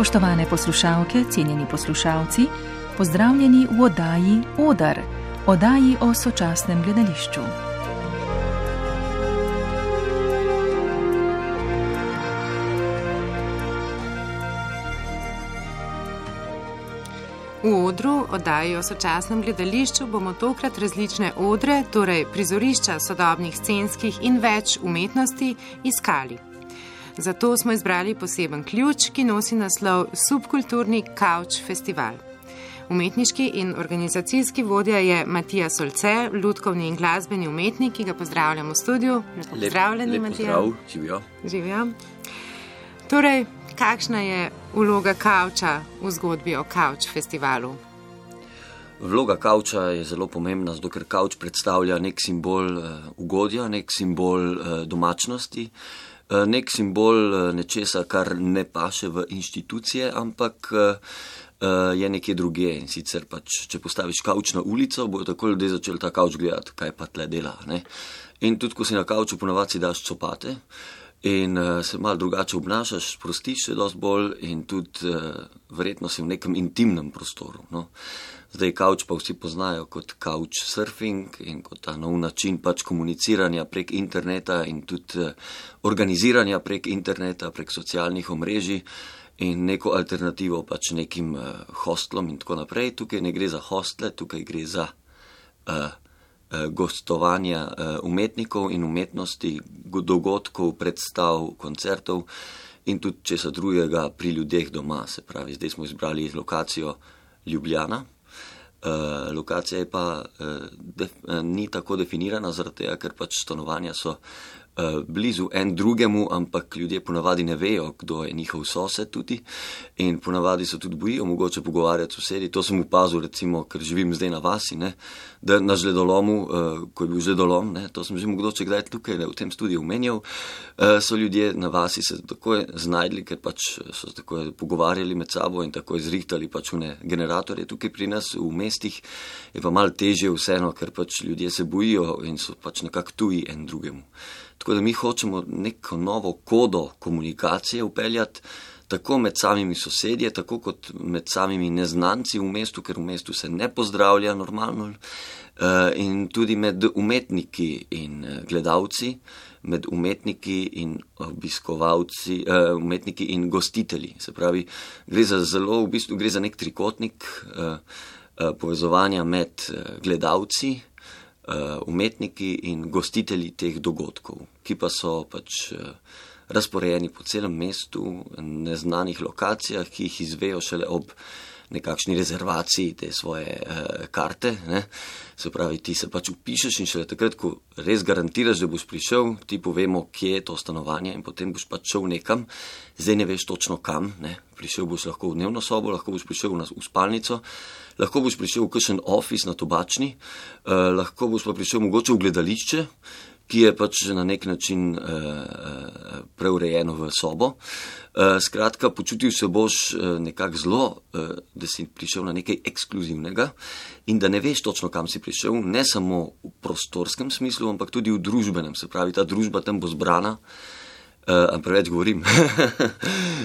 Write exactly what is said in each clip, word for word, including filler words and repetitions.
Spoštovane poslušalke, cenjeni poslušalci, pozdravljeni v oddaji Odar, oddaji o sočasnem gledališču. V Odru, oddaji o sočasnem gledališču, bomo tokrat različne odre, torej prizorišča sodobnih scenskih in več umetnosti, iskali. Zato smo izbrali poseben ključ, ki nosi naslov Subkulturni Couch Festival. Umetniški in organizacijski vodja je Matija Solce, lutkovni in glasbeni umetnik, ki ga pozdravljam v studiu. Lepo pozdravljeni, lep Matija. Lep pozdrav, živijo. Živijo. Torej, kakšna je vloga kavča v zgodbi o Couch Festivalu? Vloga kavča je zelo pomembna, zato ker kavč predstavlja nek simbol uh, ugodja, nek simbol uh, domačnosti, uh, nek simbol uh, nečesa, kar ne paše v inštitucije, ampak uh, uh, je nekje drugje. In sicer pač, če postaviš kavč na ulico, bojo tako ljudje začeli ta kavč gledati, kaj pa tle dela. Ne? In tudi, ko si na kavču, ponavadi si daš copate in uh, se malo drugače obnašaš, sprostiš se dosti bolj in tudi uh, verjetno si v nekem intimnem prostoru. No? Zdaj kavč pa vsi poznajo kot couchsurfing in kot ta nov način pač komuniciranja prek interneta in tudi uh, organiziranja prek interneta, prek socialnih omrežij in neko alternativo pač nekim uh, hostlom in tako naprej. Tukaj ne gre za hostle, tukaj gre za uh, gostovanja umetnikov in umetnosti, dogodkov, predstav, koncertov in tudi česa drugega pri ljudeh doma. Se pravi, zdaj smo izbrali lokacijo Ljubljana. Uh, lokacija je pa uh, def, uh, ni tako definirana, zaradi tega, ker pač stanovanja so uh, blizu en drugemu, ampak ljudje ponavadi ne vejo, kdo je njihov sosed tudi in ponavadi se tudi bojijo mogoče pogovarjati sosedi. To sem opazil, recimo, ker živim zdaj na vasi, ne, da na žledolomu, uh, ko je bil žledolom, ne, to sem že mogoče kdaj tukaj ne, v tem studiu omenjal, uh, so ljudje na vasi se takoj znajdli, ker pač so se takoj pogovarjali med sabo in takoj zrihtali pač une generatorje. Tukaj pri nas v mestih je pa malo težje vseeno, ker pač ljudje se bojijo in so pač nekako tuji en drugemu. Tako da mi hočemo neko novo kodo komunikacije upeljati, tako med samimi sosedje, tako kot med samimi neznanci v mestu, ker v mestu se ne pozdravlja normalno, in tudi med umetniki in gledalci, med umetniki in obiskovalci, umetniki in gostitelji. Se pravi, gre za zelo, v bistvu gre za nek trikotnik povezovanja med gledalci, umetniki in gostitelji teh dogodkov, ki pa so pač razporejeni po celem mestu, neznanih lokacijah, ki jih izvejo šele ob nekakšni rezervaciji te svoje uh, karte. Ne? Se pravi, ti se pač upišeš in šele takrat, ko res garantiraš, da boš prišel, ti povemo, kje je to stanovanje in potem boš pač šel nekam. Zdaj ne veš točno kam, ne? Prišel boš lahko v dnevno sobo, lahko boš prišel v, v spalnico, lahko boš prišel v kakšen office na Tobačni, uh, lahko boš pa prišel mogoče v gledališče, ki je pač na nek način uh, preurejeno v sobo. Uh, skratka, počutil se boš uh, nekako zelo, uh, da si prišel na nekaj ekskluzivnega in da ne veš točno, kam si prišel, ne samo v prostorskem smislu, ampak tudi v družbenem. Se pravi, ta družba tam bo zbrana, uh, preveč govorim,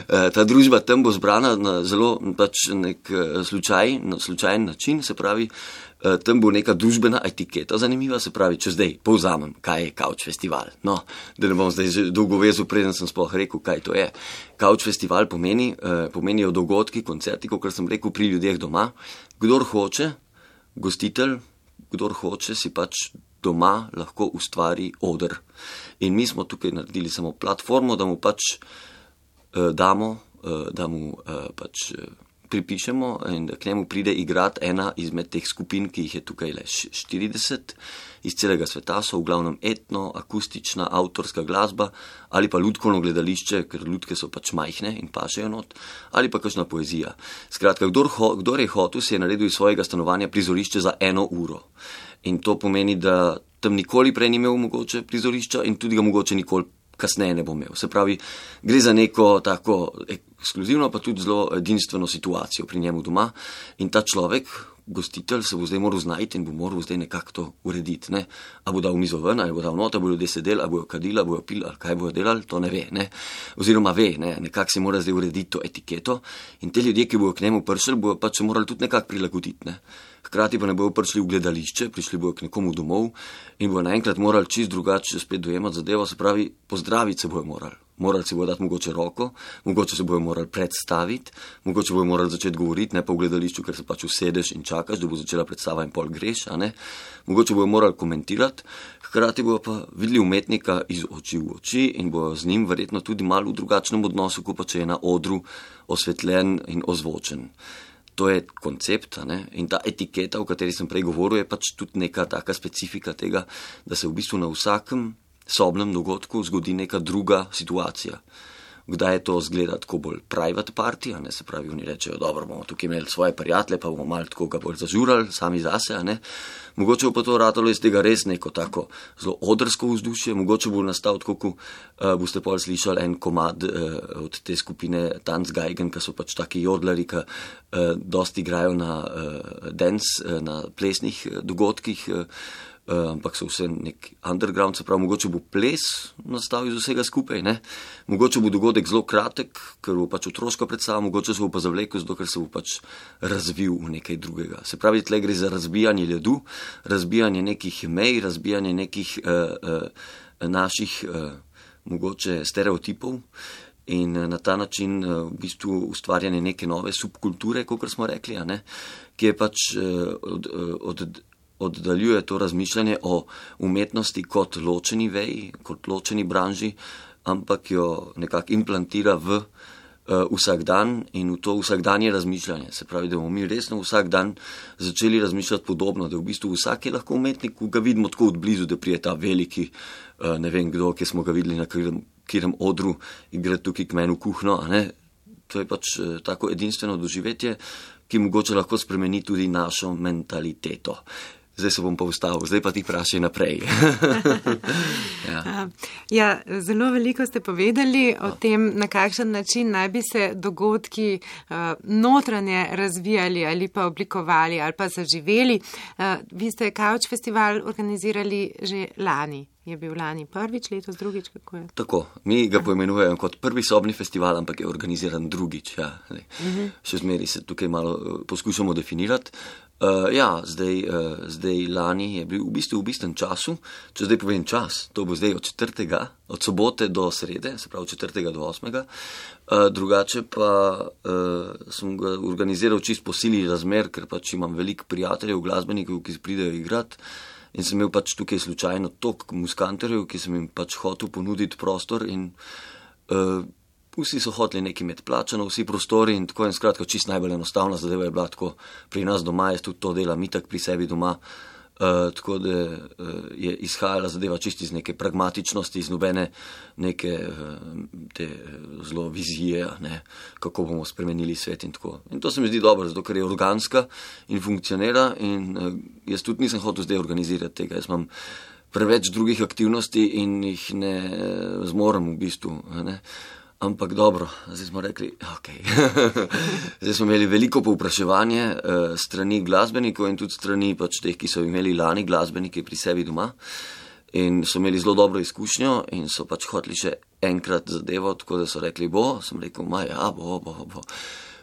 ta družba tam bo zbrana na zelo pač nek uh, slučaj, na slučajen način, se pravi, Uh, tam bo neka družbena etiketa zanimiva, se pravi, če zdaj povzamem, kaj je Couch Festival. No, da ne bom zdaj že dolgo vezil, preden sem sploh rekel, kaj to je. Couch Festival pomeni, uh, pomenijo dogodki, koncerti, kot sem rekel, pri ljudeh doma. Kdor hoče, gostitelj, kdor hoče, si pač doma lahko ustvari oder. In mi smo tukaj naredili samo platformo, da mu pač uh, damo, uh, da mu uh, pač uh, pripišemo in da k njemu pride igrati ena izmed teh skupin, ki jih je tukaj le štirideset iz celega sveta, so v glavnem etno, akustična, avtorska glasba ali pa lutkovno gledališče, ker lutke so pač majhne in pašejo not, ali pa kakšna poezija. Skratka, kdor, ho, kdor je hotel, si je naredil iz svojega stanovanja prizorišče za eno uro. In to pomeni, da tam nikoli prej ni imel mogoče prizorišča in tudi ga mogoče nikoli kasneje ne bo imel. Se pravi, gre za neko tako ekskluzivno, pa tudi zelo edinstveno situacijo pri njemu doma in ta človek, gostitelj, se bo zdaj moral znajti in bo moral zdaj nekako to urediti. Ne? A bo dal mizo ven, ali bo dal not, ali bo ljudje sedeli, ali bojo kadili, ali bojo pili, ali kaj bojo delali, to ne ve. Ne? Oziroma ve, ne? Nekako se mora zdaj urediti to etiketo in te ljudje, ki bojo k njemu prišli, bojo pač se morali tudi nekako prilagoditi. Ne? Hkrati pa ne bojo prišli v gledališče, prišli bojo k nekomu domov in bojo naenkrat morali čist drugače spet dojemati zadevo, se pravi, pozdraviti se bojo morali. Morali si bojo dati mogoče roko, mogoče se bojo morali predstaviti, mogoče bojo morali začeti govoriti, ne pa v gledališču, ker se pač usedeš in čakaš, da bo začela predstava in pol greš, a ne. Mogoče bojo morali komentirati, hkrati bojo pa videli umetnika iz oči v oči in bojo z njim verjetno tudi malo v drugačnem odnosu, kot pa če je na odru osvetljen in ozvočen. To je koncept, a ne? In ta etiketa, o kateri sem prej govoril, je pač tudi neka taka specifika tega, da se v bistvu na vsakem sobnem dogodku zgodi neka druga situacija. Kdaj je to zgleda tako bolj private party, a ne, se pravi, oni rečejo, dobro, bomo tukaj imeli svoje prijatelje, pa bomo malo tako ga bolj zažurali, sami zase, a ne. Mogoče bo pa to ratalo iz tega res neko tako zelo odrsko vzdušje, mogoče bo nastal tako, ko uh, boste pol slišali en komad uh, od te skupine Tanzgeigen, ki so pač taki jodlari, ki uh, dosti igrajo na uh, dance, uh, na plesnih uh, dogodkih, uh, Uh, ampak so vse nek underground, se pravi, mogoče bo ples nastal iz vsega skupaj, ne? Mogoče bo dogodek zelo kratek, ker bo pač otroška predstava, mogoče se bo pa zavlekel, zato ker se bo pač razvil v nekaj drugega. Se pravi, tle gre za razbijanje ledu, razbijanje nekih mej, razbijanje nekih uh, uh, naših uh, mogoče stereotipov in uh, na ta način uh, v bistvu ustvarjanje neke nove subkulture, kot smo rekli, a ne? Ki je pač uh, od, uh, od oddaljuje to razmišljanje o umetnosti kot ločeni veji, kot ločeni branži, ampak jo nekako implantira v uh, vsak dan in v to vsakdanje razmišljanje. Se pravi, da bomo mi resno vsak dan začeli razmišljati podobno, da v bistvu vsak je lahko umetnik, ko ga vidimo tako od blizu, da prije ta veliki, uh, ne vem kdo, ki smo ga videli na katerem odru, igra tukaj k meni v kuhno, a ne? To je pač uh, tako edinstveno doživetje, ki mogoče lahko spremeni tudi našo mentaliteto. Zdaj se bom pa ustavil, zdaj pa ti vprašaj naprej. ja. ja, zelo veliko ste povedali o tem, na kakšen način naj bi se dogodki uh, notranje razvijali ali pa oblikovali ali pa zaživeli. Uh, vi ste Kavč festival organizirali že lani. Je bil lani prvič, letos drugič, kako je? Tako, mi ga poimenujemo kot prvi sobni festival, ampak je organiziran drugič. Ja. Uh-huh. Še zmeri se tukaj malo uh, poskušamo definirati. Uh, ja, zdaj, uh, zdaj lani je bil v bistvu v bistven času, če zdaj povem čas, to bo zdaj od četrtega, od sobote do srede, se pravi od četrtega do osmega, uh, drugače pa uh, sem ga organiziral čist po sili razmer, ker pač imam veliko prijateljev, glasbenikov, ki pridejo igrati in sem imel pač tukaj slučajno tok muskanterjev, ki sem jim pač hotel ponuditi prostor in uh, vsi so hoteli nekaj imeti plačano, vsi prostori in tako in skratka čist najbolj enostavna zadeva je bila tako pri nas doma, jaz tudi to delam itak pri sebi doma, uh, tako da uh, je izhajala zadeva čist iz neke pragmatičnosti, iz nobene neke uh, te zelo vizije, ne, kako bomo spremenili svet in tako. In to se mi zdi dobro, zato ker je organska in funkcionira in uh, jaz tudi nisem hotel zdaj organizirati tega, jaz imam preveč drugih aktivnosti in jih ne zmorem v bistvu, ne. Ampak dobro, zdaj smo rekli, ok. Zdaj smo imeli veliko povpraševanje uh, strani glasbenikov in tudi strani pač teh, ki so imeli lani glasbenike pri sebi doma in so imeli zelo dobro izkušnjo in so pač hoteli še enkrat zadevo, tako da so rekli bo, sem rekel, ma ja, bo, bo, bo.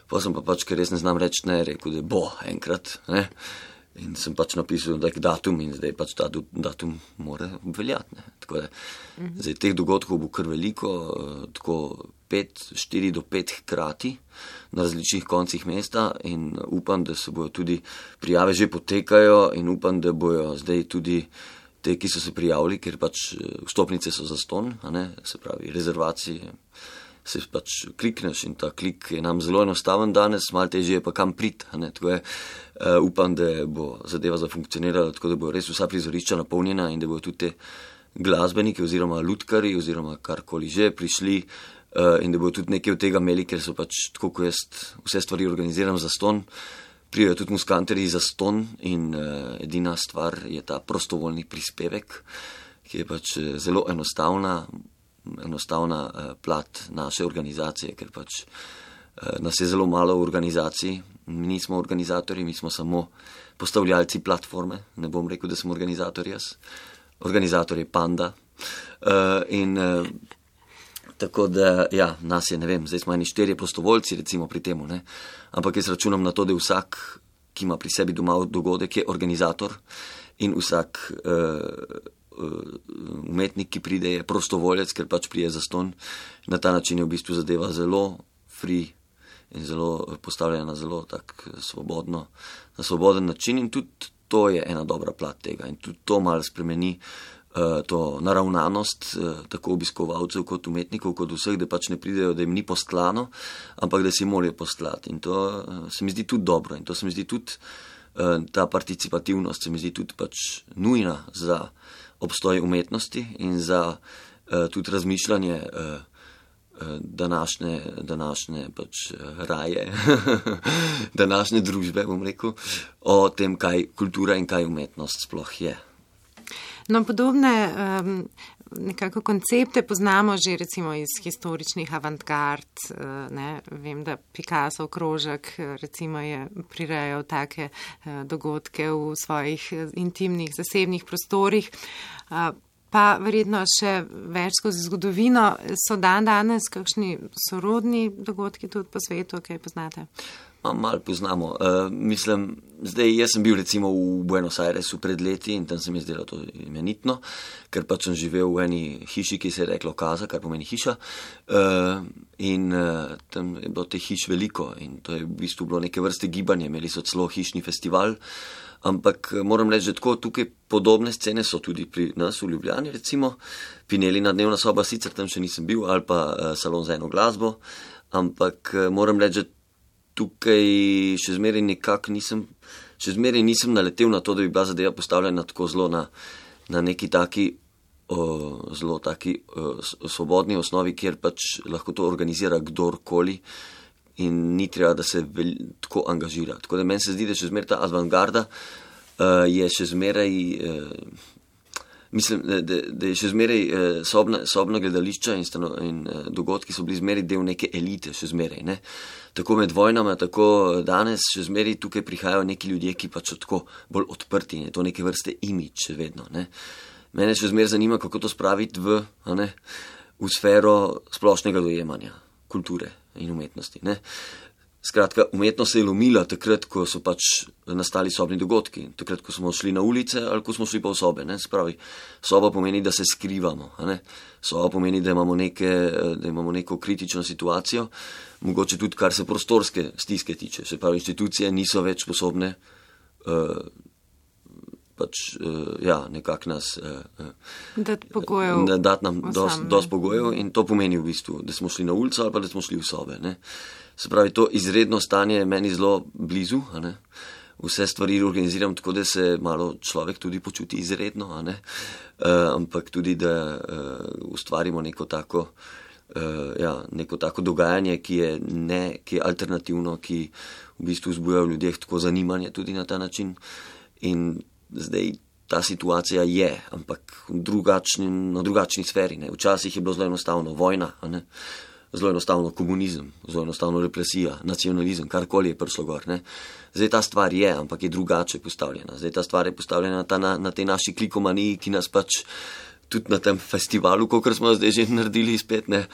Pa sem pa pač, ker res ne znam reči ne, rekel, da bo enkrat, ne. In sem pač napisal tak datum in zdaj pač ta datum mora obveljati. Ne. Tako da, uh-huh. Zdaj teh dogodkov bo kar veliko, tako pet, štiri do pet hkrati na različnih koncih mesta in upam, da se bojo tudi prijave že potekajo in upam, da bojo zdaj tudi te, ki so se prijavili, ker pač vstopnice so zastonj, a ne, se pravi rezervacije, se pač klikneš in ta klik je nam zelo enostaven danes, malo težje je pa kam priti, a ne, tako je. Uh, upam, da bo zadeva zafunkcionirala, tako da bo res vsa prizorišča napolnjena in da bojo tudi te glasbeniki oziroma lutkari oziroma karkoli že prišli uh, in da bojo tudi nekaj od tega imeli, ker so pač tako, ko jaz vse stvari organiziram za ston, prijajo tudi muskanterji za ston in uh, edina stvar je ta prostovoljni prispevek, ki je pač zelo enostavna, enostavna uh, plat naše organizacije, ker pač Nas je zelo malo v organizaciji, mi nismo organizatorji, mi smo samo postavljalci platforme, ne bom rekel, da sem organizator jaz. Organizator je Panda. In tako da, ja, nas je, ne vem, zdaj smo eni štirje prostovoljci, recimo pri temu, ne. Ampak jaz računam na to, da vsak, ki ima pri sebi doma dogodek, je organizator in vsak umetnik, ki pride, je prostovoljec, ker pač prije zastonj. Na ta način je v bistvu zadeva zelo free in zelo postavljena na zelo tak svobodno, na svoboden način in tudi to je ena dobra plat tega in tudi to malo spremeni uh, to naravnanost uh, tako obiskovalcev kot umetnikov, kot vseh, da pač ne pridejo, da jim ni postlano, ampak da si morajo postlati in to uh, se mi zdi tudi dobro in to se mi zdi tudi uh, ta participativnost se mi zdi tudi pač nujna za obstoj umetnosti in za uh, tudi razmišljanje uh, današnje, današnje pač raje, današnje družbe, bom rekel, o tem, kaj kultura in kaj umetnost sploh je. No, podobne um, nekako koncepte poznamo že recimo iz historičnih avantgard, ne, vem, da Picasso krožek recimo je prirejal take uh, dogodke v svojih intimnih, zasebnih prostorih, uh, pa verjetno še več skozi zgodovino. So dan danes kakšni sorodni dogodki tudi po svetu, kaj poznate? Malo poznamo. Uh, mislim, zdaj jaz sem bil recimo v Buenos Airesu pred leti in tam se mi je zdelo to imenitno, ker pač sem živel v eni hiši, ki se je reklo Casa, kar pomeni hiša. Uh, in uh, tam je bilo te hiš veliko in to je v bistvu bilo neke vrste gibanje, imeli so celo hišni festival. Ampak moram reči, da tako tukaj podobne scene so tudi pri nas v Ljubljani, recimo Pinelina dnevna soba, sicer tam še nisem bil, ali pa uh, salon za eno glasbo, ampak uh, moram reči, da tukaj še zmeraj nekako nisem, še zmeraj nisem naletel na to, da bi bila zadeva postavljena tako zelo na, na neki taki, uh, zelo taki uh, svobodni osnovi, kjer pač lahko to organizira kdorkoli. In ni treba, da se vel, tako angažira. Tako da meni se zdi, da še zmeraj ta avantgarda uh, je še zmeraj, uh, mislim, da, da je še zmeraj uh, sobna, sobna gledališča in, stano, in uh, dogodki so bili zmeraj del neke elite, še zmeraj, ne. Tako med vojnama, tako danes še zmeraj tukaj prihajajo neki ljudje, ki pač so tako bolj odprti in je to neke vrste imidž še vedno, ne. Mene še zmeraj zanima, kako to spraviti v, a ne, v sfero splošnega dojemanja kulture in umetnosti, ne. Skratka, umetnost se je lomila takrat, ko so pač nastali sobni dogodki, takrat, ko smo šli na ulice ali ko smo šli pa v sobe, ne. Spravi, soba pomeni, da se skrivamo, a ne. Soba pomeni, da imamo neke, da imamo neko kritično situacijo, mogoče tudi kar se prostorske stiske tiče, se pravi, inštitucije niso več sposobne uh, pač, uh, ja, nekako nas uh, dati pogojev, dati nam dosti dos pogojev in to pomeni v bistvu, da smo šli na ulico ali pa da smo šli v sobe, ne. Se pravi, to izredno stanje je meni zelo blizu, a ne. Vse stvari organiziram tako, da se malo človek tudi počuti izredno, a ne. Uh, ampak tudi, da uh, ustvarimo neko tako, uh, ja, neko tako dogajanje, ki je, ne, ki je alternativno, ki v bistvu vzbuja v ljudeh tako zanimanje tudi na ta način. In zdaj ta situacija je, ampak v drugačni, na drugačni sferi, ne. Včasih je bilo zelo enostavno vojna, a ne. Zelo enostavno komunizem, zelo enostavno represija, nacionalizem, karkoli je prišlo gor, ne. Zdaj ta stvar je, ampak je drugače postavljena. Zdaj ta stvar je postavljena ta, na, na tej naši klikomaniji, ki nas pač tudi na tem festivalu, kakor smo zdaj že naredili spet, ne,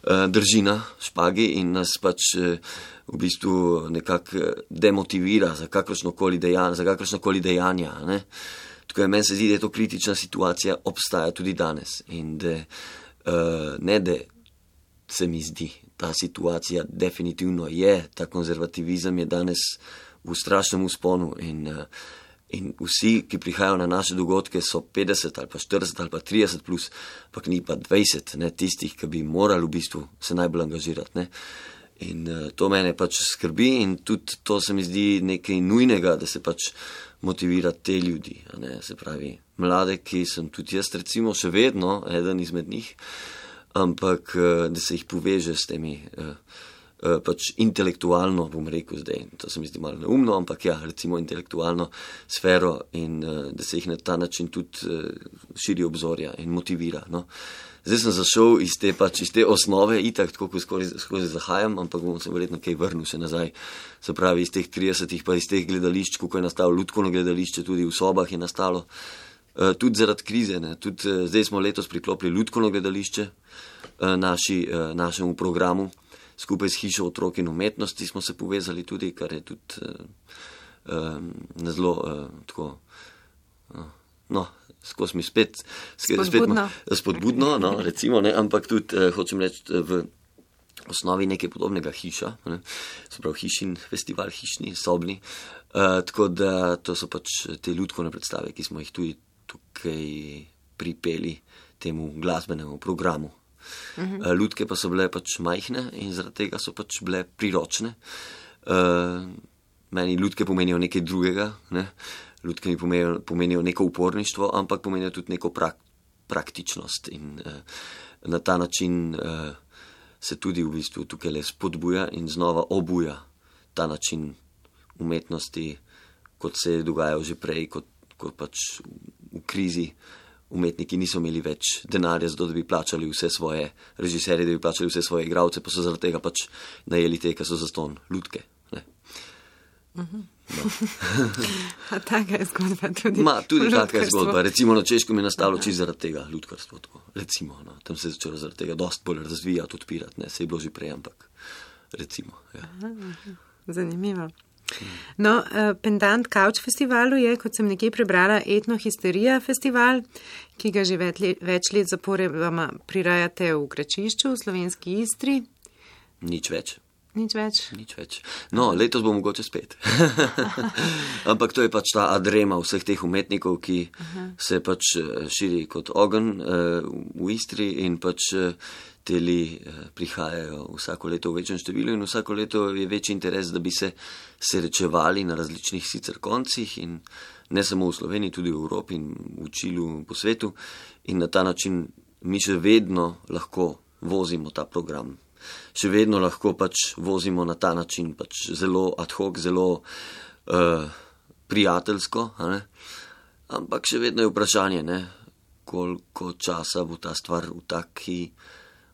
drži na špagi in nas pač v bistvu nekako demotivira za kakršnokoli dejanja, za kakršnokoli dejanja, ne. Tako je, meni se zdi, da je to kritična situacija, obstaja tudi danes in da uh, ne, da se mi zdi, ta situacija definitivno je, ta konzervativizem je danes v strašnem usponu in, in vsi, ki prihajajo na naše dogodke, so petdeset ali pa štirideset ali pa trideset plus, pa ni pa dvajset, ne, tistih, ki bi morali v bistvu se najbolj angažirati, ne. In uh, to mene pač skrbi in tudi to se mi zdi nekaj nujnega, da se pač motivira te ljudi, a ne, se pravi, mlade, ki sem tudi jaz recimo še vedno eden izmed njih, ampak da se jih poveže s temi uh, pač intelektualno, bom rekel zdaj, to se mi zdi malo neumno, ampak ja, recimo intelektualno sfero in da se jih na ta način tudi širi obzorja in motivira. No. Zdaj sem zašel iz te, pač, iz te osnove, itak tako, ko skozi, skozi zahajam, ampak bom se verjetno kaj vrnil še nazaj. Se pravi, iz teh tridesetih pa iz teh gledališč, kako je nastalo Lutkovno gledališče, tudi v sobah je nastalo. Tudi zaradi krize, ne. Tudi zdaj smo letos priklopili Lutkovno gledališče naši, našemu programu. Skupaj s Hišo otrok in umetnosti smo se povezali tudi, kar je tudi uh, zelo uh, tako, uh, no, skozi mi spet, spodbudno, spet spodbudno no, recimo, ne, ampak tudi, uh, hočem reči, v osnovi nekaj podobnega Hiša, ne, se pravi Hišin festival, Hišni, sobni, uh, tako da to so pač te Lutkovne predstave, ki smo jih tudi tukaj pripeli temu glasbenemu programu. Uh-huh. Lutke pa so bile pač majhne in zaradi tega so pač bile priročne. Uh, meni lutke pomenijo nekaj drugega, ne? Lutke mi pomenijo, pomenijo neko uporništvo, ampak pomenijo tudi neko prak, praktičnost in uh, na ta način uh, se tudi v bistvu tukaj le spodbuja in znova obuja ta način umetnosti, kot se je dogajal že prej, kot, kot pač v, v krizi. Umetniki niso imeli več denarja, zato da bi plačali vse svoje režiserje, da bi plačali vse svoje igralce, pa so zaradi tega pač najeli te, ki so zastonj lutke. Ne. Uh-huh. No. A taka je zgodba tudi? Ma, tudi taka je zgodba. Recimo na Češkem je nastalo čisto zaradi tega lutkarstvo. Tako. Recimo, no. Tam se je začelo zaradi tega dosti bolj razvijati, odpirati. Ne. Se je bilo že prej, ampak recimo. Ja. Aha, zanimivo. No, pendant Couch festivalu je, kot sem nekje prebrala, Etnohisterija festival, ki ga že več let zaporedoma prirajate v Gračišču, v slovenski Istri. Nič več. Nič več? Nič več. No, letos bo mogoče spet. Ampak to je pač ta adrema vseh teh umetnikov, ki Aha. se pač širi kot ogenj v Istri in pač teli prihajajo vsako leto v večjem številu in vsako leto je večji interes, da bi se srečevali na različnih sicer koncih in ne samo v Sloveniji, tudi v Evropi in v Čilu po svetu in na ta način mi še vedno lahko vozimo ta program. Še vedno lahko pač vozimo na ta način, pač zelo ad hoc, zelo uh, prijateljsko, a ne? Ampak še vedno je vprašanje, ne? Koliko časa bo ta stvar v taki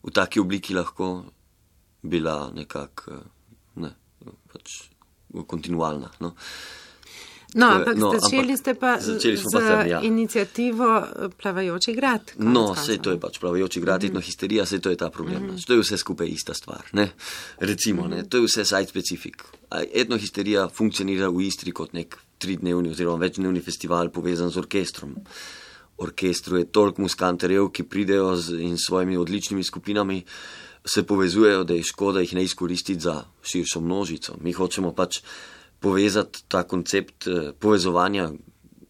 v taki obliki lahko bila nekako ne, pač kontinualna. No, no ampak no, začeli ampak, ste pa z tam, ja. inicijativo Plavajoči grad. No, sej to je pač Plavajoči grad, mm-hmm. Etnohisterija, sej to je ta problem. Mm-hmm. To je vse skupaj ista stvar. Ne? Recimo, mm-hmm. ne, to je vse site specific. Etnohisterija funkcionira v Istri kot nek tridnevni oziroma večdnevni festival povezan z orkestrom. Orkestru je toliko muskanterjev, ki pridejo z, in s svojimi odličnimi skupinami se povezujejo, da je škoda jih ne izkoristiti za širšo množico. Mi hočemo pač povezati ta koncept povezovanja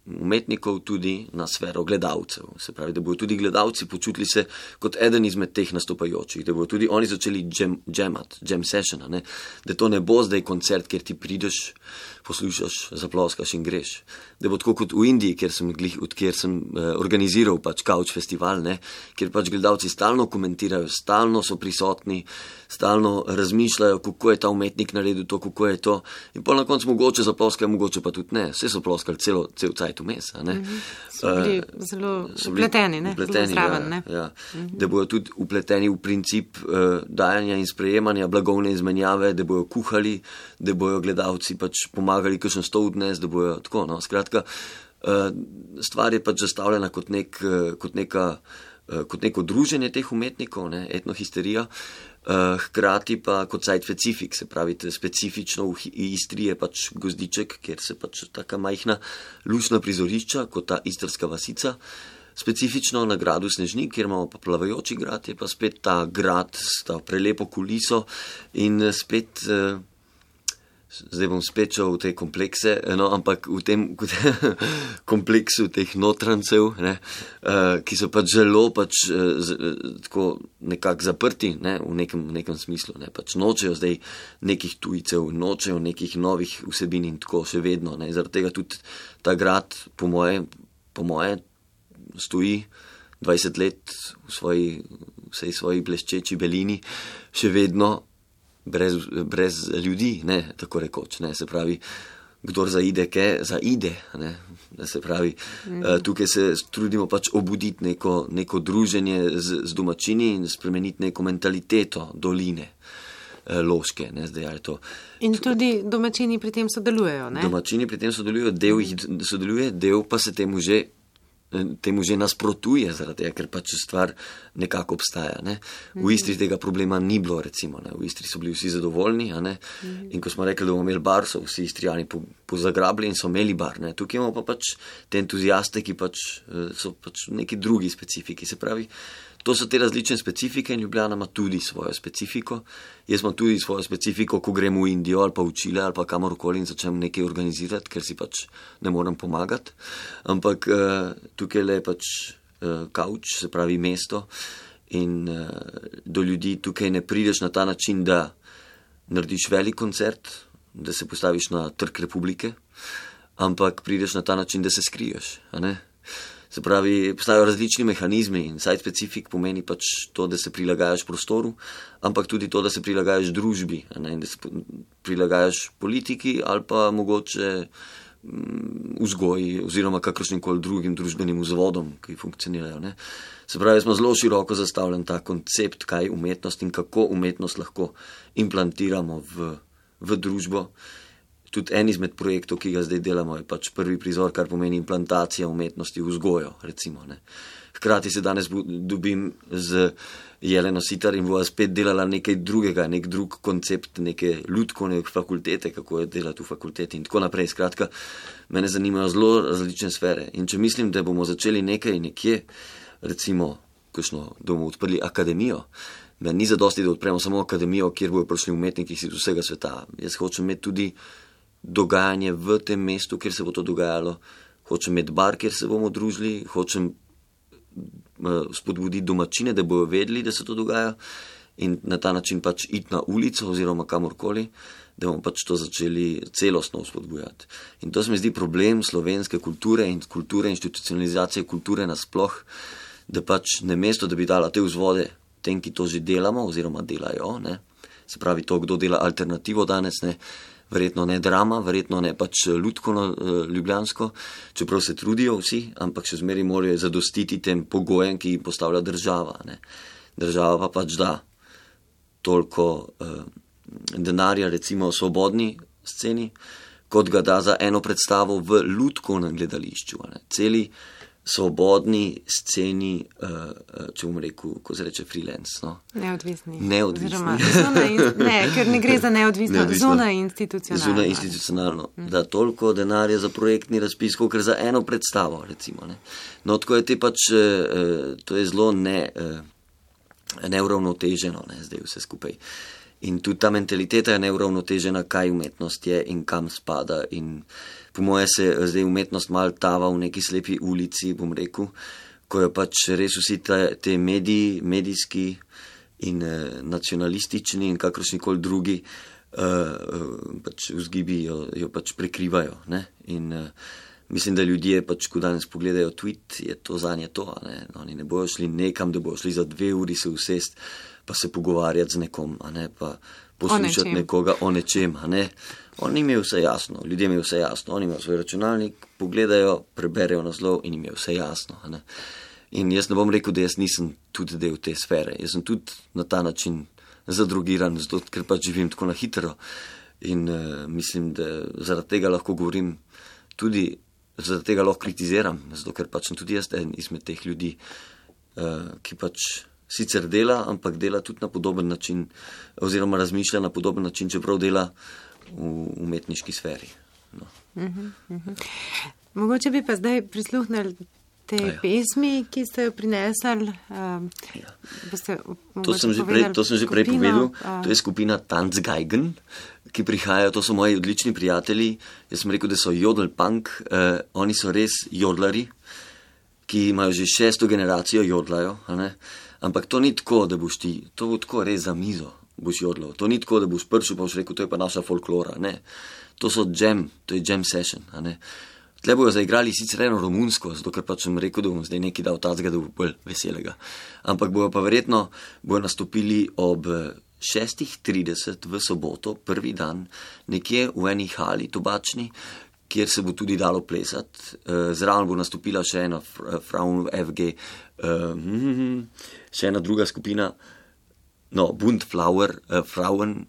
umetnikov tudi na sfero gledalcev. Se pravi, da bodo tudi gledalci počutili se kot eden izmed teh nastopajočih, da bodo tudi oni začeli jam, jamat, jam sessiona, ne? Da to ne bo zdaj koncert, kjer ti prideš, poslušaš, zaploskaš in greš. Da bo tako kot v Indiji, kjer sem, kjer sem eh, organiziral pač Couch festival, ne? Kjer pač gledalci stalno komentirajo, stalno so prisotni, stalno razmišljajo, kako je ta umetnik naredil to, kako je to. In pol na koncu mogoče zaploskajo, mogoče pa tudi ne. Vse so ploskali celo, cel cajt vmes. Mm-hmm. So bili uh, zelo upleteni, ne? Upleteni, zraven, ne? Ja, ja. Mm-hmm. Da bojo tudi upleteni v princip uh, dajanja in sprejemanja, blagovne izmenjave, da bojo kuhali, da bojo gledalci pač pomagali kakšen stol dnes, da bojo tako, no. Skratka, uh, stvar je pač zastavljena kot, nek, uh, kot, neka, uh, kot neko druženje teh umetnikov, ne? Etnohisterija. Uh, hkrati pa kot site specifik, se pravi, specifično v Istri je pač Gozdiček, kjer se pač taka majhna lušna prizorišča, kot ta istrska vasica. Specifično na gradu Snežnik, kjer imamo pa Plavajoči grad, je pa spet ta grad s ta prelepo kuliso in spet, uh, zdaj bom spet šel v te komplekse, no, ampak v tem kompleksu teh notrancev, ne, uh, ki so pač zelo pač uh, z, uh, tako nekako zaprti, ne, v nekem, nekem smislu, ne, pač nočejo zdaj nekih tujcev, nočejo nekih novih vsebin in tako še vedno, ne, zaradi tega tudi ta grad po moje, po moje stoji dvajset let v svoji, vsej svoji bleščeči belini, še vedno brez, brez ljudi, ne, tako rekoč, ne, se pravi, kdor zaide, ke zaide, ne, se pravi, mm. tukaj se trudimo pač obuditi neko, neko druženje z, z domačini in spremeniti neko mentaliteto doline. Loške, ne, zdaj je to. In tudi domačini pri tem sodelujejo, ne? Domačini pri tem sodelujejo, del jih sodeluje, del pa se temu že, temu že nasprotuje, zaradi tega, ker pač stvar nekako obstaja, ne. V Istri tega problema ni bilo, recimo, ne. V Istri so bili vsi zadovoljni, a ne, in ko smo rekli, da bomo imeli bar, so vsi Istrijani pozagrabili in so imeli bar, ne. Tukaj imamo pa pač te entuziaste, ki pač so pač neki drugi specifiki, se pravi, to so te različne specifike in Ljubljana ima tudi svojo specifiko. Jaz imam tudi svojo specifiko, ko grem v Indijo ali pa v Čile ali pa kamorkoli in začnem nekaj organizirati, ker si pač ne morem pomagati. Ampak uh, tukaj le pač uh, kauč, se pravi mesto in uh, do ljudi tukaj ne prideš na ta način, da narediš velik koncert, da se postaviš na Trg Republike, ampak prideš na ta način, da se skriješ, a ne? Se pravi, postajajo različni mehanizmi in site specific pomeni pač to, da se prilagajaš prostoru, ampak tudi to, da se prilagajaš družbi, ne, da se prilagajaš politiki ali pa mogoče mm, vzgoji oziroma kakršnim koli drugim družbenim vzvodom, ki funkcionirajo. Ne. Se pravi, smo zelo široko zastavljen ta koncept, kaj je umetnost in kako umetnost lahko implantiramo v, v družbo. Tudi en izmed projektov, ki ga zdaj delamo, je pač prvi prizor, kar pomeni implantacija umetnosti v vzgojo, recimo. Ne. Hkrati se danes dobim z Jeleno Sitar in bova spet delala nekaj drugega, nek drug koncept, neke lutkovne fakultete, kako je delati v fakulteti in tako naprej. Skratka, mene zanimajo zelo različne sfere. In če mislim, da bomo začeli nekaj nekje, recimo, kakšno, da bomo odprli akademijo, meni ni zadosti, da odpremo samo akademijo, kjer bojo prišli umetniki iz vsega sveta. Jaz hočem imeti tudi dogajanje v tem mestu, kjer se bo to dogajalo, hočem imeti bar, kjer se bomo družili, hočem uh, spodbuditi domačine, da bojo vedeli, da se to dogaja in na ta način pač iti na ulico oziroma kamorkoli, da bomo pač to začeli celostno spodbujati. In to se mi zdi problem slovenske kulture in kulture, institucionalizacije kulture nasploh, da pač ne mesto, da bi dala te vzvode tem, ki to že delamo oziroma delajo, ne, se pravi to, kdo dela alternativo danes, ne, verjetno ne drama, verjetno ne pač lutkovno ljubljansko, čeprav se trudijo vsi, ampak še zmeri morajo zadostiti tem pogojem, ki jih postavlja država. Ne. Država pa pač da toliko uh, denarja, recimo svobodni sceni, kot ga da za eno predstavo v lutkovnem gledališču. Ne. Celi svobodni sceni, uh, če bom rekel, ko se reče freelance. No? Neodvisni. Neodvisni. In, ne, ker ne gre za neodvisno, zunaj institucionalno. Zunaj institucionalno. Mm. Da toliko denarja za projektni razpis, kot za eno predstavo, recimo. Ne? No, tako je te pač, uh, to je zelo ne, uh, neuravnoteženo, ne, zdaj vse skupaj. In tudi ta mentaliteta je neuravnotežena, kaj umetnost je in kam spada. In po moje se zdaj umetnost mal tava v neki slepi ulici, bom rekel, ko je pač res vsi te, te mediji, medijski in eh, nacionalistični in kakršnikoli drugi eh, pač vzgibi jo, jo pač prekrivajo. Ne? In eh, mislim, da ljudje pač, ko danes pogledajo tweet, je to zanje to. Ne? Oni ne bojo šli nekam, da bojo šli za dve uri se usest, pa se pogovarjati z nekom, a ne, pa poslušati nekoga o nečem, a ne. Oni imajo vse jasno, ljudje imajo vse jasno, oni imajo svoj računalnik, pogledajo, preberejo naslov in imajo vse jasno, a ne. In jaz ne bom rekel, da jaz nisem tudi del te sfere, jaz sem tudi na ta način zadrogiran, zato, ker pač živim tako na hitro in uh, mislim, da zaradi tega lahko govorim tudi, zaradi tega lahko kritiziram, zato, ker pač sem tudi jaz en izmed teh ljudi, uh, ki pač sicer dela, ampak dela tudi na podoben način oziroma razmišlja na podoben način, čeprav dela v umetniški sferi. No. Uh-huh, uh-huh. Mogoče bi pa zdaj prisluhnili te ja. pesmi, ki ste jo prinesli. Um, ja. To sem že prej, to sem že prej povedal. Uh, to je skupina Tanzgeigen, ki prihajajo, to so moji odlični prijatelji. Jaz sem rekel, da so jodelpunk, uh, oni so res jodlari, ki imajo že šesto generacijo jodlajo, a ne? Ampak to ni tako, da boš ti, to bo tako res za mizo, boš jodlal. To ni tako, da boš prišel pa boš rekel, to je pa naša folklora, ne. To so jam, to je jam session, a ne. Tle bojo zaigrali sicer eno romunsko, zato ker pač sem rekel, da bom zdaj nekaj dal tacga, da bo bolj veselega. Ampak bojo pa verjetno, bojo nastopili ob šestih trideset v soboto, prvi dan, nekje v eni hali tobačni, kjer se bo tudi dalo plesati. Zraven bo nastopila še ena Frauen F G, še ena druga skupina, no, Bundflower, Frauen,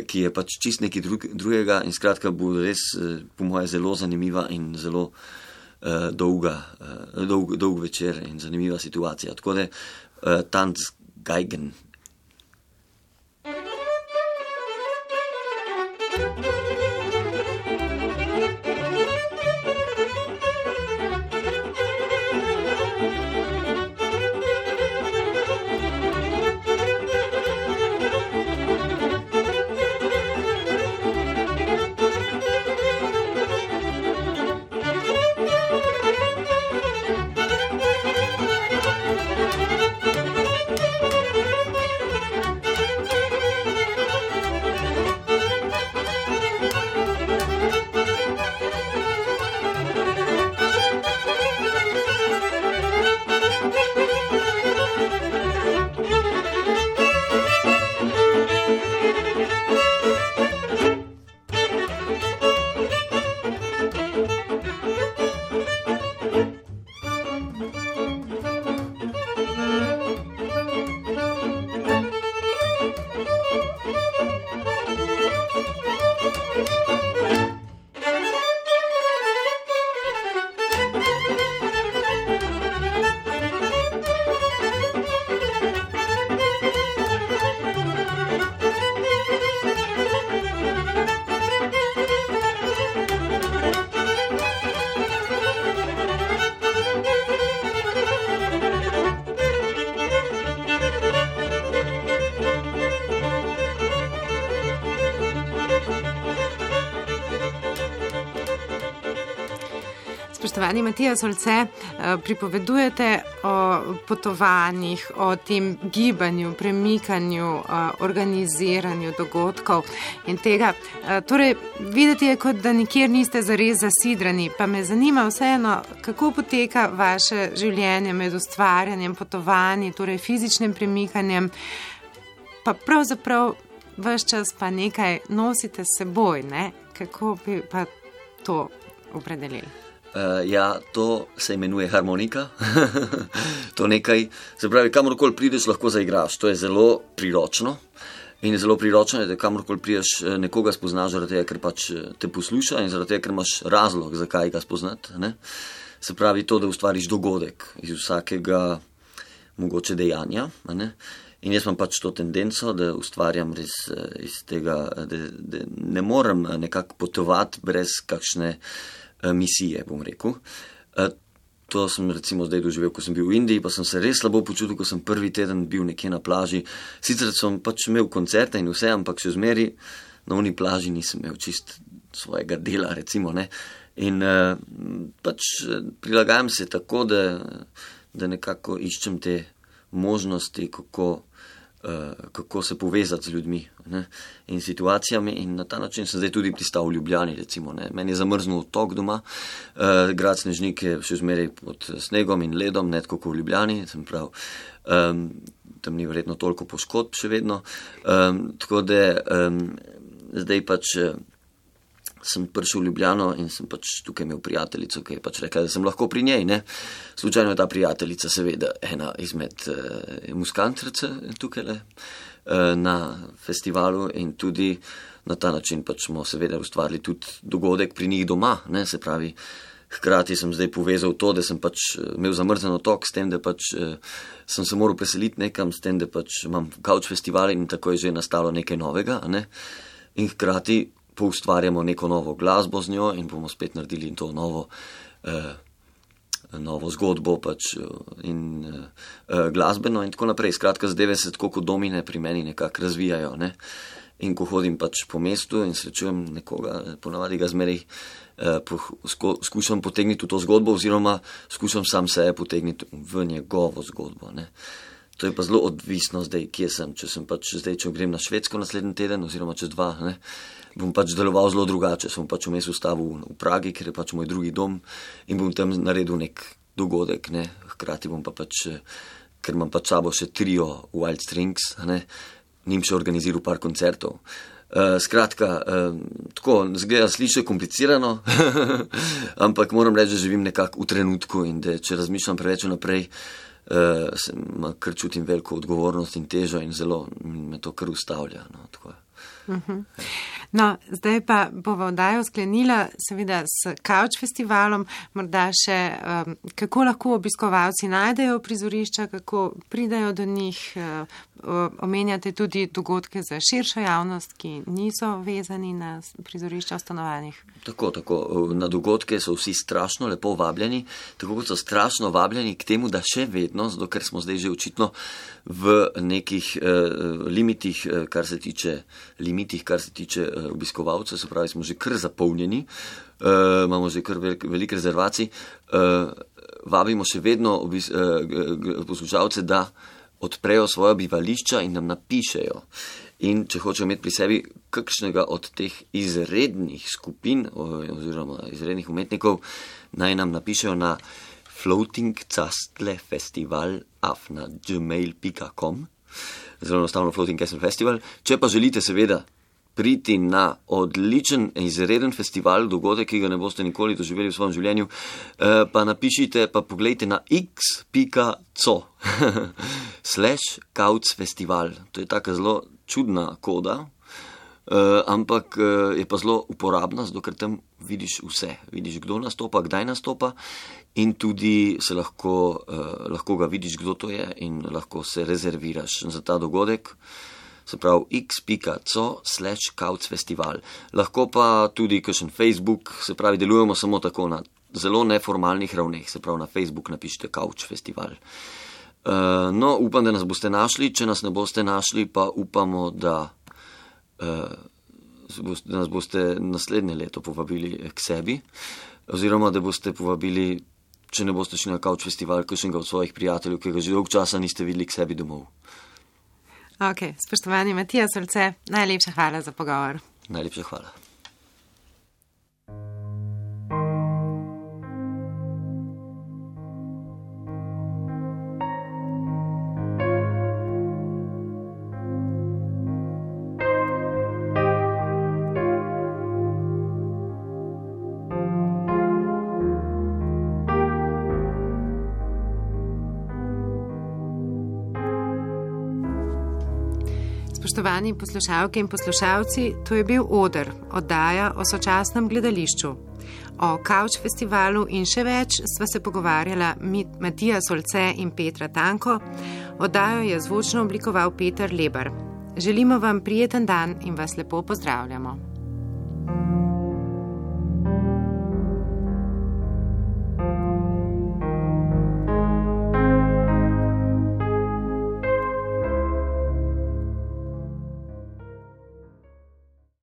ki je pač čist nekaj drugega in skratka bo res, po moje, zelo zanimiva in zelo dolga, dolg, dolg večer in zanimiva situacija. Tako da Tanz Geigen. Spoštovani Matija Solce, pripovedujete o potovanjih, o tem gibanju, premikanju, organiziranju dogodkov in tega. Torej, videti je, kot da nikjer niste zares zasidrani, pa me zanima vseeno, kako poteka vaše življenje med ustvarjanjem, potovanji, torej fizičnim premikanjem, pa pravzaprav ves čas pa nekaj nosite s seboj, ne? Kako bi pa to opredelili? Uh, ja, to se imenuje harmonika. To nekaj, se pravi, kamorkoli prideš, lahko zaigraš. To je zelo priročno. In je zelo priročno, da kamorkoli prideš, nekoga spoznaš zaradi tega, ker pač te posluša in zaradi tega, ker imaš razlog, zakaj ga spoznati. Ne? Se pravi to, da ustvariš dogodek iz vsakega mogoče dejanja. Ne? In jaz imam pač to tendenco, da ustvarjam res iz tega, da, da ne morem nekako potovati brez kakšne misije, bom rekel. To sem recimo zdaj doživel, ko sem bil v Indiji, pa sem se res slabo počutil, ko sem prvi teden bil nekje na plaži. Sicer sem pač imel koncerte in vse, ampak še zmeri na oni plaži nisem imel čist svojega dela, recimo, ne. In pač prilagajam se tako, da, da nekako iščem te možnosti, kako Uh, kako se povezati z ljudmi, ne, in situacijami, in na ta način sem zdaj tudi pristal v Ljubljani, recimo, ne. Meni je zamrznil otok doma, uh, grad Snežnik je še zmeraj pod snegom in ledom, ne tako kot v Ljubljani, sem prav, um, tam ni verjetno toliko poškodb še vedno, um, tako da um, zdaj pač uh, sem prišel v Ljubljano in sem pač tukaj imel prijateljico, ki je pač rekla, da sem lahko pri njej, ne. Slučajno je ta prijateljica seveda ena izmed uh, muskantrice tukaj le, uh, na festivalu in tudi na ta način pač smo seveda ustvarili tudi dogodek pri njih doma, ne, se pravi, hkrati sem zdaj povezal to, da sem pač imel zamrzen otok s tem, da pač uh, sem se moral preseliti nekam, s tem, da pač imam couch festivale in tako je že nastalo nekaj novega, ne, in hkrati poustvarjamo neko novo glasbo z njo in bomo spet naredili to novo, eh, novo zgodbo pač in eh, glasbeno in tako naprej. Skratka, zadeve se tako kot domine pri meni nekako razvijajo, ne. In ko hodim pač po mestu in srečujem nekoga, ponavadi ga zmeraj eh, po, sko, skušam potegniti v to zgodbo oziroma skušam sam sebe potegniti v njegovo zgodbo, ne. To je pa zelo odvisno zdaj, kje sem. Če sem pač zdaj, če grem na Švedsko naslednji teden oziroma čez dva, ne, bom pač deloval zelo drugače. Sem pač vmes ustavil v Pragi, ker je pač moj drugi dom in bom tam naredil nek dogodek, ne. Hkrati bom pa pač, ker imam pač sabo še trio Wild Strings, ne, njim še organiziral par koncertov. Uh, skratka, uh, tako, zgleda, sliši komplicirano, ampak moram reči, da živim nekako v trenutku in da če razmišljam preveč naprej, uh, sem, kar čutim veliko odgovornost in težo in zelo me to kar ustavlja. No, tako. Uh-huh. No, zdaj pa bova oddajo sklenila seveda s Kavč festivalom, morda še um, kako lahko obiskovalci najdejo prizorišča, kako pridajo do njih, uh, omenjate tudi dogodke za širšo javnost, ki niso vezani na prizorišča v stanovanjih. Tako, tako. Na dogodke so vsi strašno lepo vabljeni, tako kot so strašno vabljeni k temu, da še vedno, zato ker smo zdaj že očitno v nekih uh, limitih, uh, kar se tiče limitih, kar se tiče uh, obiskovalcev, se pravi, smo že kar zapolnjeni, uh, imamo že kar velik, velik rezervacij, uh, vabimo še vedno obis, uh, poslušalce, da odprejo svoja bivališča in nam napišejo. In če hočejo imeti pri sebi kakšnega od teh izrednih skupin oziroma izrednih umetnikov, naj nam napišejo na floatingcastlefestival afna gmail pika com, zelo enostavno Floating Castle Festival. Če pa želite seveda priti na odličen, izreden festival, dogodek, ki ga ne boste nikoli doživeli v svojem življenju, pa napišite, pa pogledajte na x pika co slash kaucfestival. To je taka zelo čudna koda, ampak je pa zelo uporabna, zato ker tam vidiš vse. Vidiš, kdo nastopa, kdaj nastopa in tudi se lahko, lahko ga vidiš, kdo to je in lahko se rezerviraš za ta dogodek. Se pravi x pika co slash kaucfestival. Lahko pa tudi kakšen Facebook, se pravi, delujemo samo tako na zelo neformalnih ravneh, se pravi, na Facebook napišite Kavč festival. Uh, no, upam, da nas boste našli, če nas ne boste našli, pa upamo, da, uh, da nas boste naslednje leto povabili k sebi, oziroma da boste povabili, če ne boste šli na Kavč festival, kakšnega od svojih prijateljev, ki ga že dolgo časa niste videli k sebi domov. Ok, spoštovani Matija Solce, najlepša hvala za pogovor. Najlepša hvala. Spoštovani poslušalke in poslušalci, to je bil Oder, oddaja o sočasnem gledališču. O Kavč festivalu in še več sva se pogovarjala Matija Solce in Petra Tanko. Oddajo je zvočno oblikoval Peter Lebar. Želimo vam prijeten dan in vas lepo pozdravljamo.